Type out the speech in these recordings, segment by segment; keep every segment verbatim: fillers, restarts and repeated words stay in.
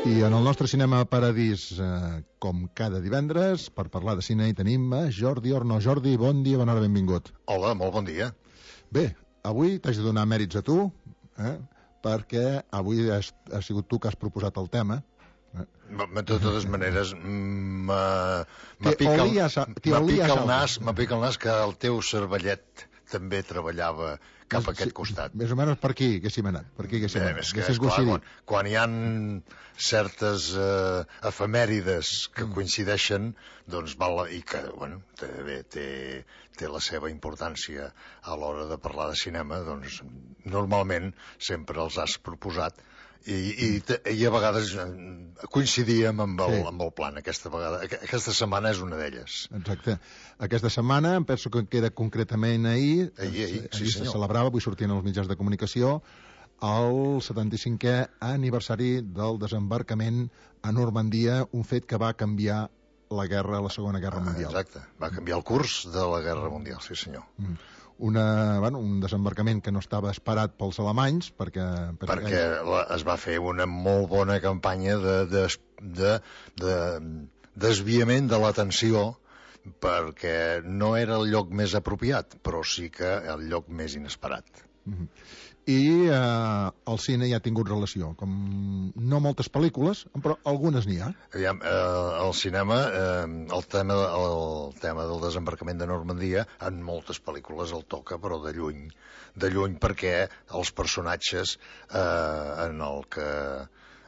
I en el nostre Cinema Paradís, eh, com cada divendres, per parlar de cine, hi tenim a Jordi Orno. Jordi, bon dia, bona hora, benvingut. Hola, molt bon dia. Bé, avui t'haig de donar mèrits a tu, eh, perquè avui has, has sigut tu que has proposat el tema. Eh. De totes maneres, m'apica el, el nas, m'apica el nas que el teu cervellet també treballava cap a aquest sí, costat. Més o menys per aquí haguéssim anat. Per aquí haguéssim anat. És que, és clar, quan, quan hi ha certes eh, efemèrides que mm. coincideixen, doncs val, i que, bueno, també té, té la seva importància a l'hora de parlar de cinema, doncs normalment sempre els has proposat i, i, i a vegades coincidíem amb el, sí. amb el plan. Aquesta vegada, aquesta setmana és una d'elles. Exacte. Aquesta setmana, em penso que queda concretament ahir, ahir, ahir, ahir sí, se celebrava, avui sortien els mitjans de comunicació, el setanta-cinquè aniversari del desembarcament a Normandia, un fet que va canviar la guerra, la Segona Guerra Mundial. Ah, exacte, va canviar el curs de la Guerra Mundial, sí senyor. Mm. Una, bueno, un desembarcament que no estava esperat pels alemanys perquè, perquè, perquè la, es va fer una molt bona campanya de, de, de, de desviament de l'atenció, perquè no era el lloc més apropiat, però sí que el lloc més inesperat. Mm-hmm. I eh, el cine ja ha tingut relació, com no moltes pel·lícules, però algunes n'hi ha. Aviam, eh, el cinema, eh, el, tema, el tema del desembarcament de Normandia, en moltes pel·lícules el toca, però de lluny, de lluny perquè els personatges eh, en el que...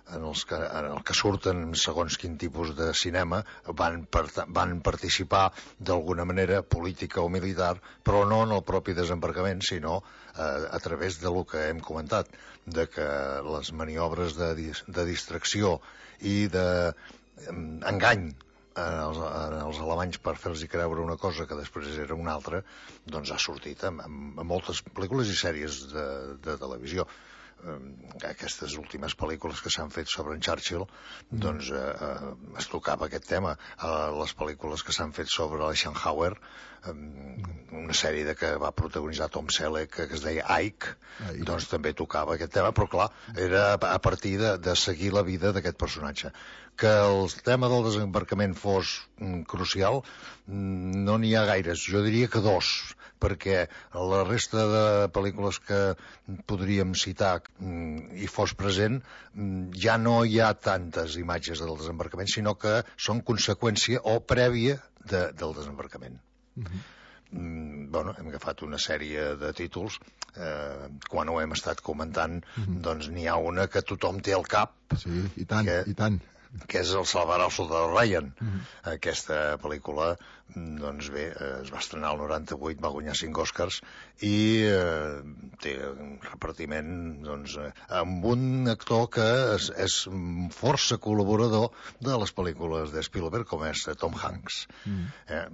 En els, que, en el que surten segons quin tipus de cinema van, per, van participar d'alguna manera política o militar, però no en el propi desembarcament, sinó eh, a través de lo que hem comentat, de que les maniobres de, de distracció i d'engany eh, en, els, en els alemanys per fer-los creure una cosa que després era una altra, doncs ha sortit en, en moltes pel·lícules i sèries de, de televisió. Aquestes últimes pel·lícules que s'han fet sobre en Churchill, doncs eh, eh, es tocava aquest tema. A les pel·lícules que s'han fet sobre l'Eisenhower, eh, una sèrie de que va protagonitzar Tom Selleck, que es deia Ike, Ike, doncs també tocava aquest tema, però clar, era a partir de, de seguir la vida d'aquest personatge. Que el tema del desembarcament fos mm, crucial, mm, no n'hi ha gaires, jo diria que dos, perquè la resta de pel·lícules que podríem citar mm, i fos present, mm, ja no hi ha tantes imatges del desembarcament, sinó que són conseqüència o prèvia de, del desembarcament. Uh-huh. Mm, bueno, hem agafat una sèrie de títols, eh, quan ho hem estat comentant, uh-huh. doncs n'hi ha una que tothom té al cap. Sí, i tant, que, i tant. que és el Salvarà el soldado Ryan. Uh-huh. Aquesta pel·lícula, doncs bé, es va estrenar el noranta-vuit, va guanyar cinc Oscars i eh, té un repartiment doncs, amb un actor que és, és força col·laborador de les pel·lícules de Spielberg, com és Tom Hanks. Uh-huh. eh,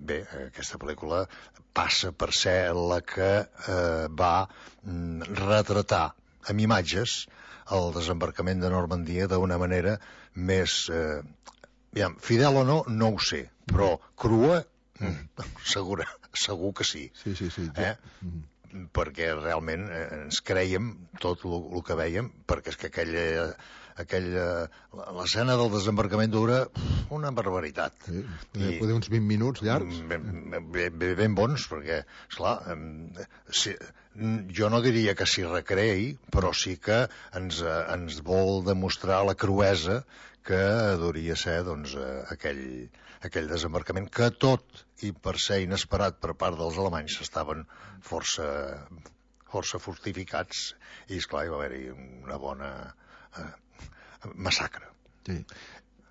bé, aquesta pel·lícula passa per ser la que eh, va mm, retratar amb imatges el desembarcament de Normandia d'una manera més... Eh, aviam, fidel o no, no ho sé, però crua, mm, segura, segur que sí. Sí, sí, sí. Eh? Mm. Perquè realment eh, ens creiem tot el que vèiem, perquè és que aquella... aquella l'escena del desembarcament dura una barbaritat. Sí, I, poder uns vint minuts llargs. Ben, ben, ben bons, perquè, esclar, si, jo no diria que s'hi recreï, però sí que ens, ens vol demostrar la cruesa que hauria ser doncs, aquell, aquell desembarcament, que tot i per ser inesperat per part dels alemanys estaven força, força fortificats i, esclar, hi va haver-hi una bona... Eh, massacre. Sí.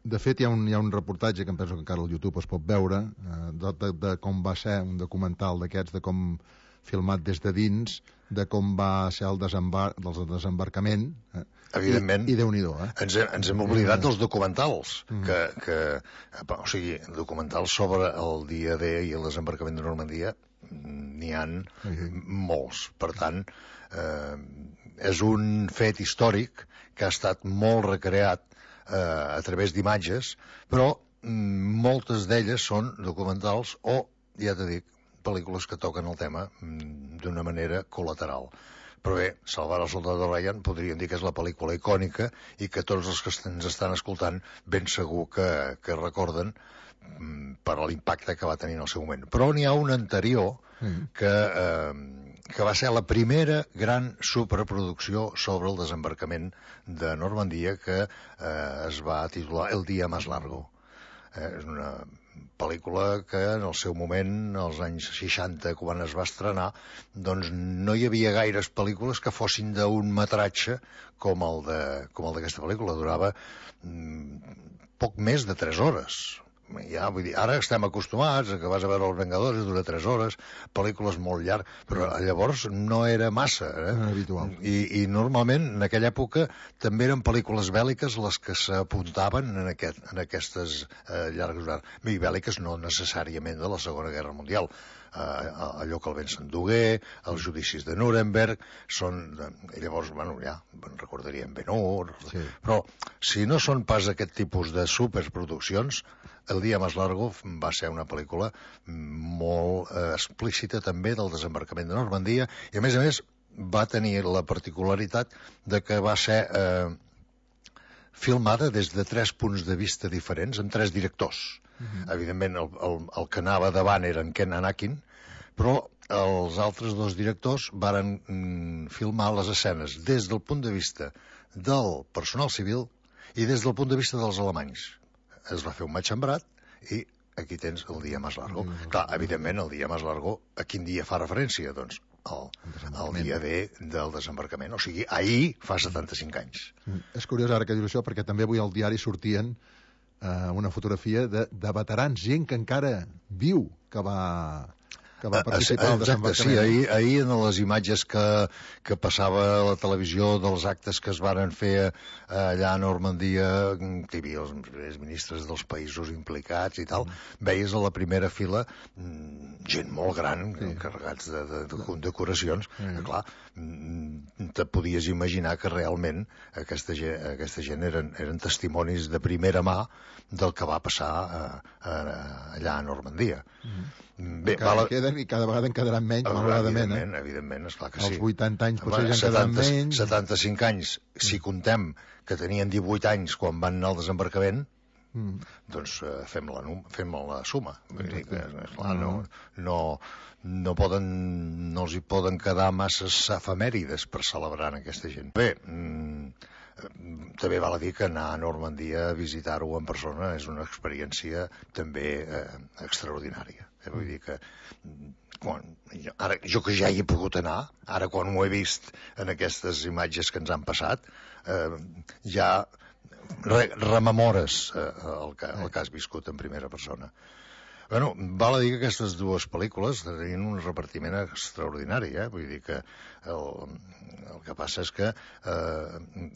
De fet, hi ha, un, hi ha un reportatge que em penso que encara al YouTube es pot veure eh, de, de, de com va ser un documental d'aquests, de com filmat des de dins, de com va ser el, desembar el desembarcament. Eh? Evidentment. I, i Déu-n'hi-do, eh? Ens, hem, ens hem oblidat dels documentals, mm. que, que, o sigui, documentals sobre el dia D i el desembarcament de Normandia n'hi ha mm. molts. Per tant, eh, és un fet històric que ha estat molt recreat eh, a través d'imatges, però mm, moltes d'elles són documentals o, ja t'he dit, pel·lícules que toquen el tema mm, d'una manera col·lateral. Però bé, Salvar el soldado Ryan podríem dir que és la pel·lícula icònica i que tots els que ens estan escoltant ben segur que, que recorden per l'impacte que va tenir en el seu moment. Però n'hi ha una anterior que, eh, que va ser la primera gran superproducció sobre el desembarcament de Normandia, que eh, es va titular El día más largo. Eh, és una pel·lícula que en el seu moment, als anys seixanta, quan es va estrenar, doncs no hi havia gaires pel·lícules que fossin d'un metratge com el de, com el d'aquesta pel·lícula. Durava mm, poc més de tres hores. Ja, vull dir, ara estem acostumats a que vas a veure Els Vengadors i dura tres hores, pel·lícules molt llargues, però llavors no era massa. Eh? No era habitual. I, I normalment, en aquella època, també eren pel·lícules bèl·liques les que s'apuntaven en, aquest, en aquestes eh, llargues durades. I bèl·liques no necessàriament de la Segona Guerra Mundial. Eh, allò que el vent s'endugué, els judicis de Nuremberg, són... I llavors, bueno, ja, recordaríem Ben-Hur... Sí. Però, si no són pas aquest tipus de superproduccions, El día más largo va ser una pel·lícula molt eh, explícita també del desembarcament de Normandia i, a més a més, va tenir la particularitat de que va ser eh, filmada des de tres punts de vista diferents, amb tres directors. Uh-huh. Evidentment, el, el, el que anava davant era en Ken Anakin, però els altres dos directors varen mm, filmar les escenes des del punt de vista del personal civil i des del punt de vista dels alemanys. Es va fer un matxembrat i aquí tens El día más largo. Mm. Clar, evidentment, El día más largo a quin dia fa referència? Doncs el, el dia D del desembarcament. O sigui, ahir fa setanta-cinc anys. Mm. És curiós ara que dius això, perquè també avui al diari sortien eh, una fotografia de, de veterans, gent que encara viu, que va... que va participar al desembarcament. Sí, ahir, ahir en les imatges que, que passava a la televisió dels actes que es varen fer allà a Normandia, que hi havia els, els ministres dels països implicats i tal, mm. veies a la primera fila gent molt gran, sí. carregats de, de, de condecoracions, mm. que clar, te podies imaginar que realment aquesta gent, aquesta gent eren, eren testimonis de primera mà del que va passar a, a, allà a Normandia. Mm. Bé, cada, queden, i cada vegada en quedaran menys, oh, malauradament. Evidentment, eh? evidentment, esclar que sí. Els vuitanta anys potser ja en quedaran menys. setanta-cinc anys, si contem que tenien divuit anys quan van anar al desembarcament, mm. doncs eh, fem, la, fem la suma. Vull dir que, esclar, no, no, no, poden, no els hi poden quedar masses efemèrides per celebrar aquesta gent. Bé, mm, també val a dir que anar a Normandia a visitar-ho en persona és una experiència també eh, extraordinària. Eh, vull dir que quan, jo, ara, jo que ja hi he pogut anar, ara quan ho he vist en aquestes imatges que ens han passat, eh, ja re, rememores eh, el, que, el que has viscut en primera persona. Bueno, val a dir que aquestes dues pel·lícules tenien un repartiment extraordinari, eh? Vull dir que el, el que passa és que eh,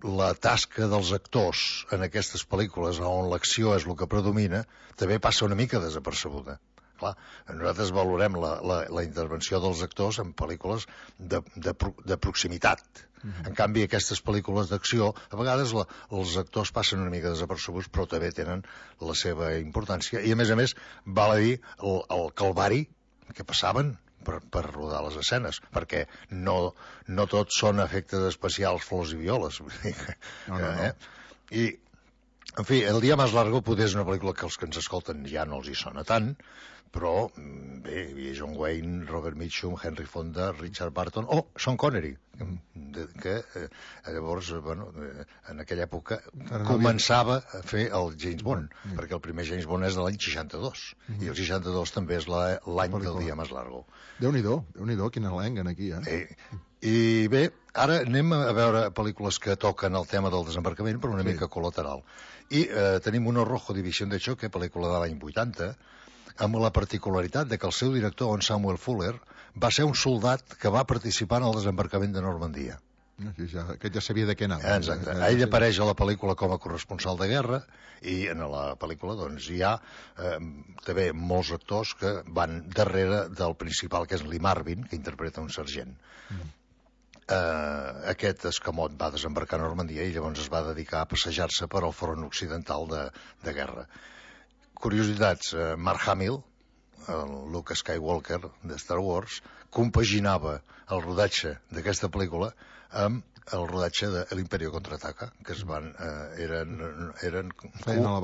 la tasca dels actors en aquestes pel·lícules on l'acció és el que predomina també passa una mica desapercebuda. Clar, nosaltres valorem la, la, la intervenció dels actors en pel·lícules de, de, de proximitat. Mm-hmm. En canvi, aquestes pel·lícules d'acció, a vegades la, els actors passen una mica desapercebuts, però també tenen la seva importància. I, a més a més, val a dir el, el calvari que passaven per, per rodar les escenes, perquè no, no tots són efectes especials, flors i violes. No, no, no. Eh? I, en fi, El día más largo potser és una pel·lícula que els que ens escolten ja no els hi sona tant, però bé, hi havia John Wayne, Robert Mitchum, Henry Fonda, Richard Burton o oh, Sean Connery, que, que eh, llavors, bueno, eh, en aquella època començava a fer el James Bond, mm. perquè el primer James Bond és de l'any seixanta-dos, mm. i el seixanta-dos també és l'any del Día Más Largo. Déu-n'hi-do, Déu-n'hi-do, quina lenguen aquí, eh? eh? I bé, ara anem a veure pel·lícules que toquen el tema del desembarcament, però una sí. mica col·lateral. I eh, tenim una Rojo División de Choque, pel·lícula de l'any vuitanta, amb la particularitat de que el seu director, en Samuel Fuller, va ser un soldat que va participar en el desembarcament de Normandia. Sí, ja, aquest ja sabia de què anava. Exacte. Ell apareix a la pel·lícula com a corresponsal de guerra i en la pel·lícula doncs, hi ha eh, també molts actors que van darrere del principal, que és Lee Marvin, que interpreta un sergent. Mm. Eh, aquest escamot va desembarcar a Normandia i llavors es va dedicar a passejar-se per al front occidental de, de guerra. Curiositats, eh, Mark Hamill el Luke Skywalker de Star Wars, compaginava el rodatge d'aquesta pel·lícula amb el rodatge de l'Imperio Contraataca, que es van, eh, eren, eren co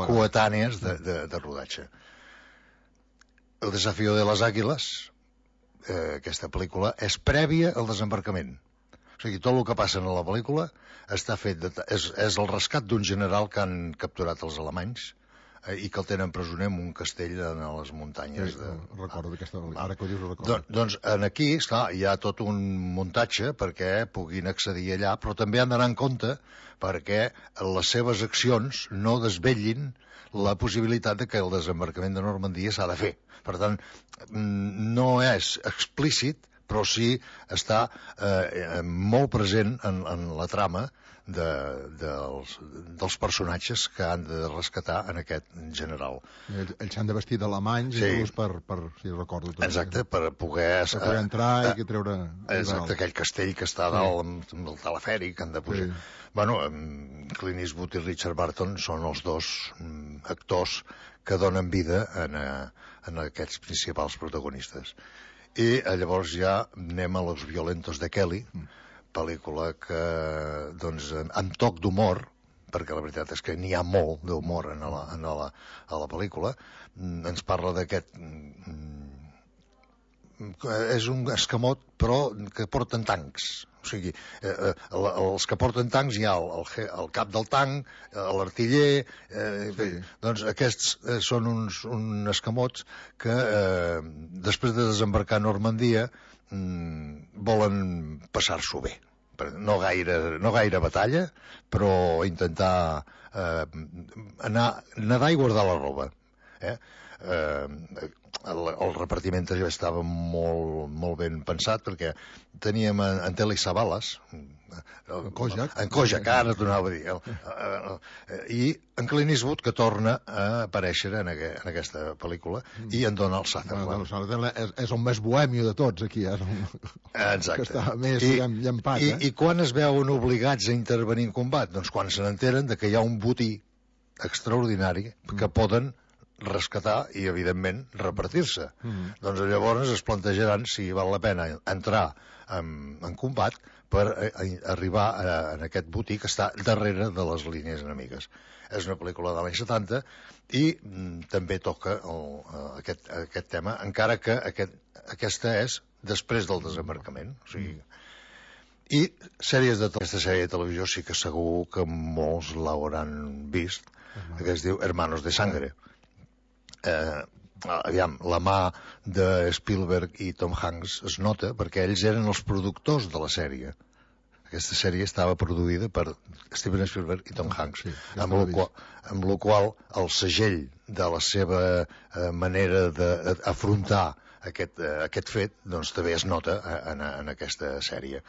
coetànies de, de, de rodatge. El Desafío de les Àguiles, eh, aquesta pel·lícula, és prèvia al desembarcament. O sigui, tot el que passa en la pel·lícula està fet de, és, és el rescat d'un general que han capturat els alemanys eh, i que el tenen presoner en un castell en les muntanyes. Sí, de... recordo aquesta... Ara que ho dius ho recordo. Don, doncs en aquí, esclar, hi ha tot un muntatge perquè puguin accedir allà, però també han d'anar en compte perquè les seves accions no desvetllin la possibilitat de que el desembarcament de Normandia s'ha de fer. Per tant, no és explícit, però sí està eh, molt present en, en la trama de, dels, dels personatges que han de rescatar en aquest general. Ells, ells s'han de vestir d'alemanys, sí. Inclús per, per, si recordo tot. Exacte, per poder... Per poder entrar eh, i que treure... Exacte, aquell castell que està dalt amb, amb el telefèric, que han de pujar. Sí. Bueno, Clint Eastwood i Richard Burton són els dos mm, actors que donen vida en, en aquests principals protagonistes. I llavors ja anem a Los Violentos de Kelly, pel·lícula que, doncs, amb toc d'humor, perquè la veritat és que n'hi ha molt d'humor en, la, en la, a la pel·lícula, ens parla d'aquest... És un escamot, però que porten tancs. O sigui, eh, els que porten tancs hi ha el, el, el cap del tanc, l'artiller... Eh, sí. Doncs aquests eh, són uns, uns escamots que eh, després de desembarcar a Normandia mm, volen passar-s'ho bé. No gaire, no gaire batalla, però intentar eh, anar, nedar i guardar la roba. Eh? Eh, el, el repartiment ja estava molt, molt ben pensat perquè teníem en, en Telly Savalas, en Kojak, en Kojak, ara tornava a dir, el, el, el, i en Clint Eastwood, que torna a aparèixer en, aqu en aquesta pel·lícula, i en Donald Sutherland. Bueno, és, és el més bohèmio de tots, aquí, eh? Exacte. Que està més I, llampat, i, eh? I quan es veuen obligats a intervenir en combat? Doncs quan se n'enteren de que hi ha un botí extraordinari que mm. poden rescatar i, evidentment, repartir-se. Mm. Doncs llavors es plantejaran si val la pena entrar en, en combat per a, a, arribar a, a aquest botí que està darrere de les línies enemigues. És una pel·lícula de l'any setanta i mm, també toca el, aquest, aquest tema, encara que aquest, aquesta és després del desembarcament. O sigui, i sèries de aquesta sèrie de televisió sí que segur que molts l'hauran vist, uh-huh. que es diu Hermanos de Sangre. Eh, aviam, la mà de Spielberg i Tom Hanks es nota perquè ells eren els productors de la sèrie. Aquesta sèrie estava produïda per Steven Spielberg i Tom Hanks, sí, amb, el qual, amb el qual el segell de la seva eh, manera d'afrontar aquest, eh, aquest fet doncs també es nota en, en aquesta sèrie.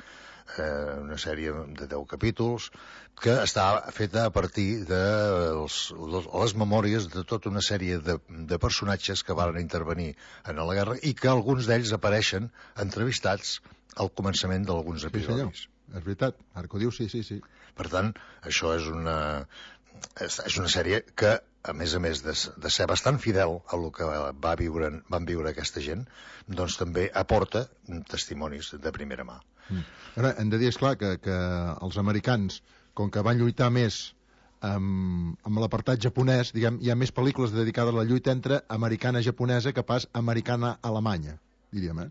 Eh, una sèrie de deu capítols que està feta a partir de els, les memòries de tota una sèrie de, de personatges que van intervenir en la guerra i que alguns d'ells apareixen entrevistats al començament d'alguns episodis. Sí, és veritat, ara que ho dius, sí, sí, sí. Per tant, això és una, és, és una sèrie que, a més a més de, de ser bastant fidel a el que va viure, van viure aquesta gent, doncs també aporta testimonis de primera mà. Mm. Ara, hem de dir, esclar, que, que els americans, com que van lluitar més amb, amb l'apartat japonès, diguem, hi ha més pel·lícules dedicades a la lluita entre americana-japonesa que pas americana-alemanya, diríem, eh?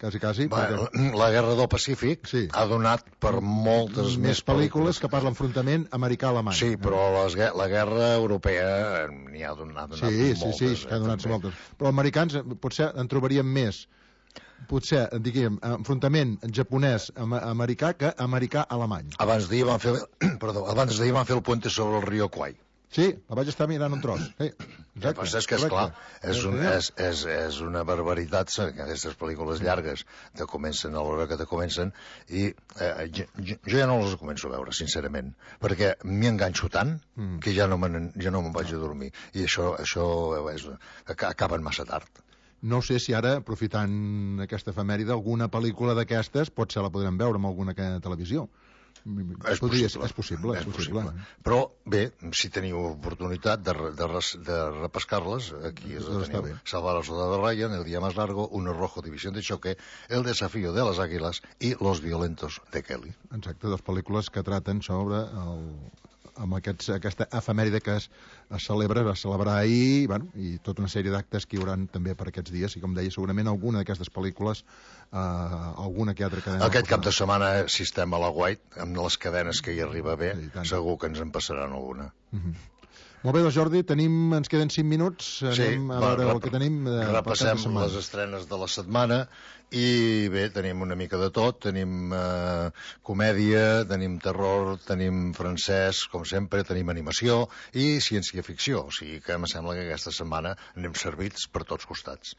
Quasi, quasi. Va, perquè... La Guerra del Pacífic sí. ha donat per moltes més, més pel·lícules que pas l'enfrontament americà-alemany. Sí, però les, la guerra europea n'hi ha donat, donat sí, moltes. Sí, sí, que ha donat també. moltes. Però els americans potser en trobaríem més, potser, diguem, enfrontament japonès-americà que americà-alemany. Abans d'ahir van fer, perdó, abans d'ahir van fer el puente sobre el riu Kwai. Sí, la vaig estar mirant un tros. Sí, ja, però és que, esclar, és, un, és, és, és una barbaritat, aquestes pel·lícules llargues te comencen a l'hora que te comencen, i eh, jo, jo ja no les començo a veure, sincerament, perquè m'hi enganxo tant mm. que ja no me'n ja no me'n vaig a dormir. I això, això és, acaben massa tard. No sé si ara, aprofitant aquesta efemèride, alguna pel·lícula d'aquestes potser la podrem veure en alguna televisió. És Podria, possible. és possible, és, és possible. possible. Però, bé, si teniu oportunitat de, de, de repescar-les, aquí és Doncs teniu Salvar al Soldado Ryan, El día más largo, Uno rojo, División de choque, El desafío de las águilas i Los violentos de Kelly. Exacte, dos pel·lícules que traten sobre el, amb aquests, aquesta efemèride que es, es celebra, es va celebrar ahir, bueno, i tota una sèrie d'actes que hi haurà també per aquests dies, i com deia, segurament alguna d'aquestes pel·lícules, eh, alguna que altra cadena... Aquest cap de setmana, si estem a la White, amb les cadenes que hi arriba bé, sí, segur que ens en passaran alguna. Uh-huh. Molt bé, doncs Jordi, tenim, ens queden cinc minuts, anem sí, a veure va, el que tenim. De, repassem les estrenes de la setmana i bé, tenim una mica de tot, tenim eh, comèdia, tenim terror, tenim francès, com sempre, tenim animació i ciència-ficció, o sigui que em sembla que aquesta setmana anem servits per tots costats.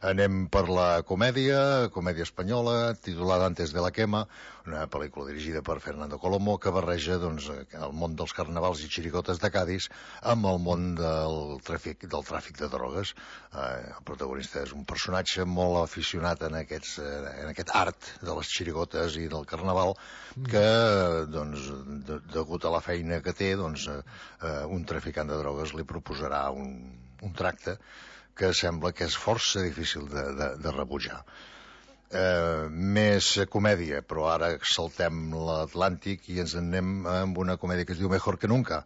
Anem per la comèdia, comèdia espanyola, titulada Antes de la quema, una pel·lícula dirigida per Fernando Colomo que barreja doncs, el món dels carnavals i xirigotes de Cádiz amb el món del tràfic, del tràfic de drogues. Eh, el protagonista és un personatge molt aficionat en, aquests, eh, en aquest art de les xirigotes i del carnaval que, doncs, de, degut a la feina que té, doncs, eh, un traficant de drogues li proposarà un, un tracte que sembla que és força difícil de, de, de rebutjar. Eh, més comèdia, però ara saltem l'Atlàntic i ens anem amb una comèdia que es diu Mejor que Nunca,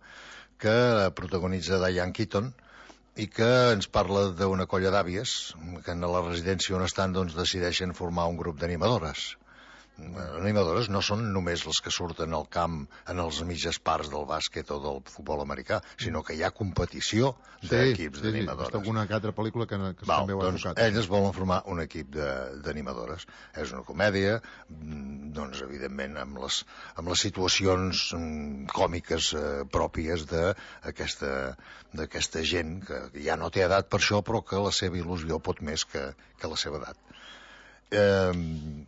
que protagonitza Diane Keaton i que ens parla d'una colla d'àvies que en la residència on estan doncs, decideixen formar un grup d'animadores. Animadores no són només les que surten al camp en els mitges parts del bàsquet o del futbol americà, sinó que hi ha competició d'equips sí, d'animadores. Sí, sí, alguna altra pel·lícula que, que Val, també ho ha doncs tocat. elles volen formar un equip d'animadores. És una comèdia, doncs, evidentment, amb les, amb les situacions còmiques eh, pròpies d'aquesta d'aquesta gent que ja no té edat per això, però que la seva il·lusió pot més que, que la seva edat. Eh,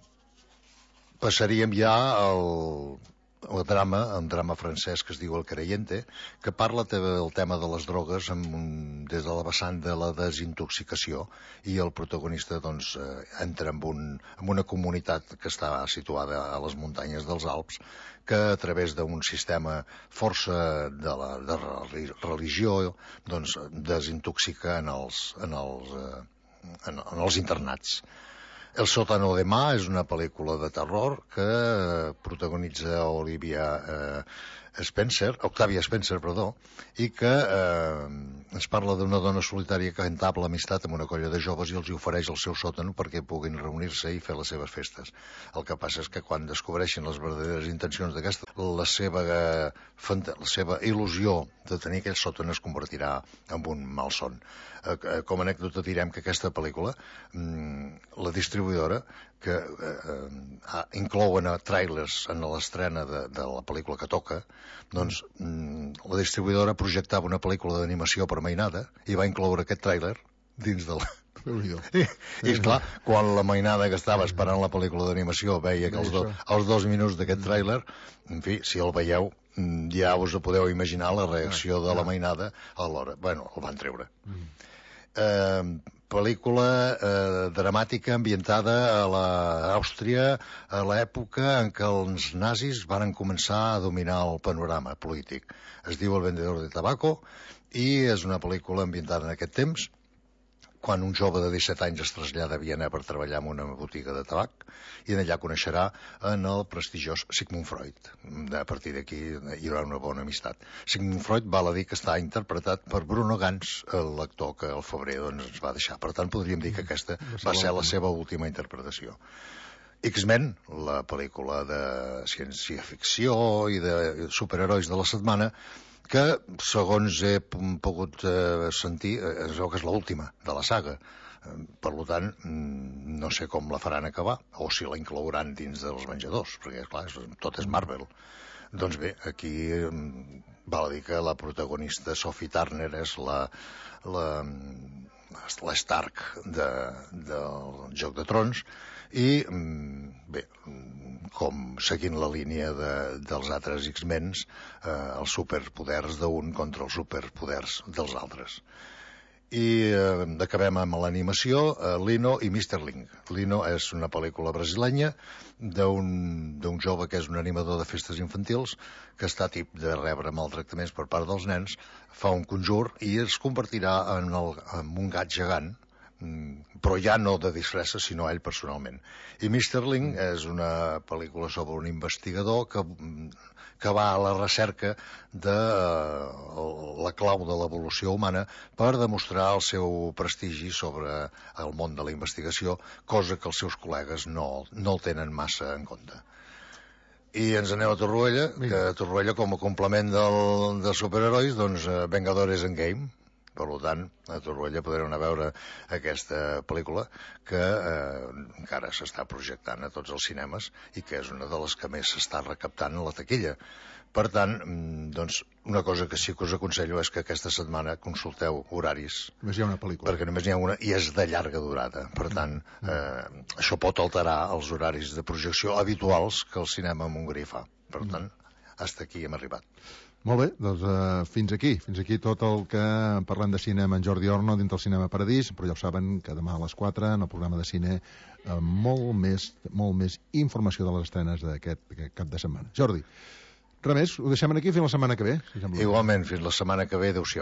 passaríem ja al, al drama, un drama francès que es diu El Creyente, que parla del tema de les drogues amb un, des de la vessant de la desintoxicació, i el protagonista doncs, eh, entra en, un, en una comunitat que està situada a les muntanyes dels Alps, que a través d'un sistema força de, la, de religió doncs, desintoxica en els, en els, eh, en, en els internats. El sótano de Mà és una pel·lícula de terror que eh, protagonitza Olivia eh, Spencer, Octavia Spencer, perdó, i que eh, ens parla d'una dona solitària que entabla amistat amb una colla de joves i els ofereix el seu sòtano perquè puguin reunir-se i fer les seves festes. El que passa és que quan descobreixen les verdaderes intencions d'aquesta, la seva, eh, la seva il·lusió de tenir aquell sòtano es convertirà en un malson. Eh, com a anècdota direm que aquesta pel·lícula, mm, la distribuïdora, que eh, eh, inclouen a trailers en l'estrena de, de la pel·lícula que toca, doncs mm, la distribuïdora projectava una pel·lícula d'animació per mainada i va incloure aquest tràiler dins del... I, i esclar, quan la mainada que estava esperant la pel·lícula d'animació veia que els, do, els dos minuts d'aquest tràiler, en fi, si el veieu, ja us podeu imaginar la reacció de la mainada a l'hora. Bueno, el van treure. Eh, pel·lícula eh, dramàtica ambientada a l'Àustria a l'època en què els nazis van començar a dominar el panorama polític. Es diu El vendedor de tabaco i és una pel·lícula ambientada en aquest temps, quan un jove de disset anys es trasllada a Viena per treballar en una botiga de tabac i en allà coneixerà en el prestigiós Sigmund Freud. A partir d'aquí hi haurà una bona amistat. Sigmund Freud val a dir que està interpretat per Bruno Ganz, l'actor que al febrer doncs, ens va deixar. Per tant, podríem dir que aquesta va ser la seva última interpretació. X-Men, la pel·lícula de ciència-ficció i de superherois de la setmana, que, segons he pogut eh, sentir, es veu que és l'última de la saga. Per tant, no sé com la faran acabar, o si la inclouran dins dels Venjadors, perquè, clar, tot és Marvel. Doncs bé, aquí val a dir que la protagonista Sophie Turner és la, la, la Stark de, del Joc de Trons, i bé, com seguint la línia de, dels altres X-Mens, eh, els superpoders d'un contra els superpoders dels altres. I eh, acabem amb l'animació, eh, Lino i mister Link. Lino és una pel·lícula brasilenya d'un jove que és un animador de festes infantils que està tip de rebre maltractaments per part dels nens, fa un conjur i es convertirà en, el, en un gat gegant, però ja no de disfressa, sinó ell personalment. I mister Link és una pel·lícula sobre un investigador que que va a la recerca de la clau de l'evolució humana per demostrar el seu prestigi sobre el món de la investigació, cosa que els seus col·legues no, no el tenen massa en compte. I ens anem a Torroella, que a Torroella, com a complement del, dels superherois, doncs Vengadores Endgame. Per tant, a Torroella podrem anar a veure aquesta pel·lícula que eh, encara s'està projectant a tots els cinemes i que és una de les que més s'està recaptant a la taquilla. Per tant, doncs, una cosa que sí que us aconsello és que aquesta setmana consulteu horaris. Només hi ha una pel·lícula. Perquè només n'hi ha una i és de llarga durada. Per tant, eh, això pot alterar els horaris de projecció habituals que el cinema en Hongria fa. Per tant, fins aquí hem arribat. Molt bé, doncs uh, fins aquí. Fins aquí tot el que parlem de cinema en Jordi Orno dintre el Cinema Paradís, però ja ho saben que demà a les quatre en el programa de cine uh, molt més molt més informació de les estrenes d'aquest cap de setmana. Jordi, res més, ho deixem aquí fins la setmana que ve. Si Igualment, fins la setmana que ve, adéu-siau.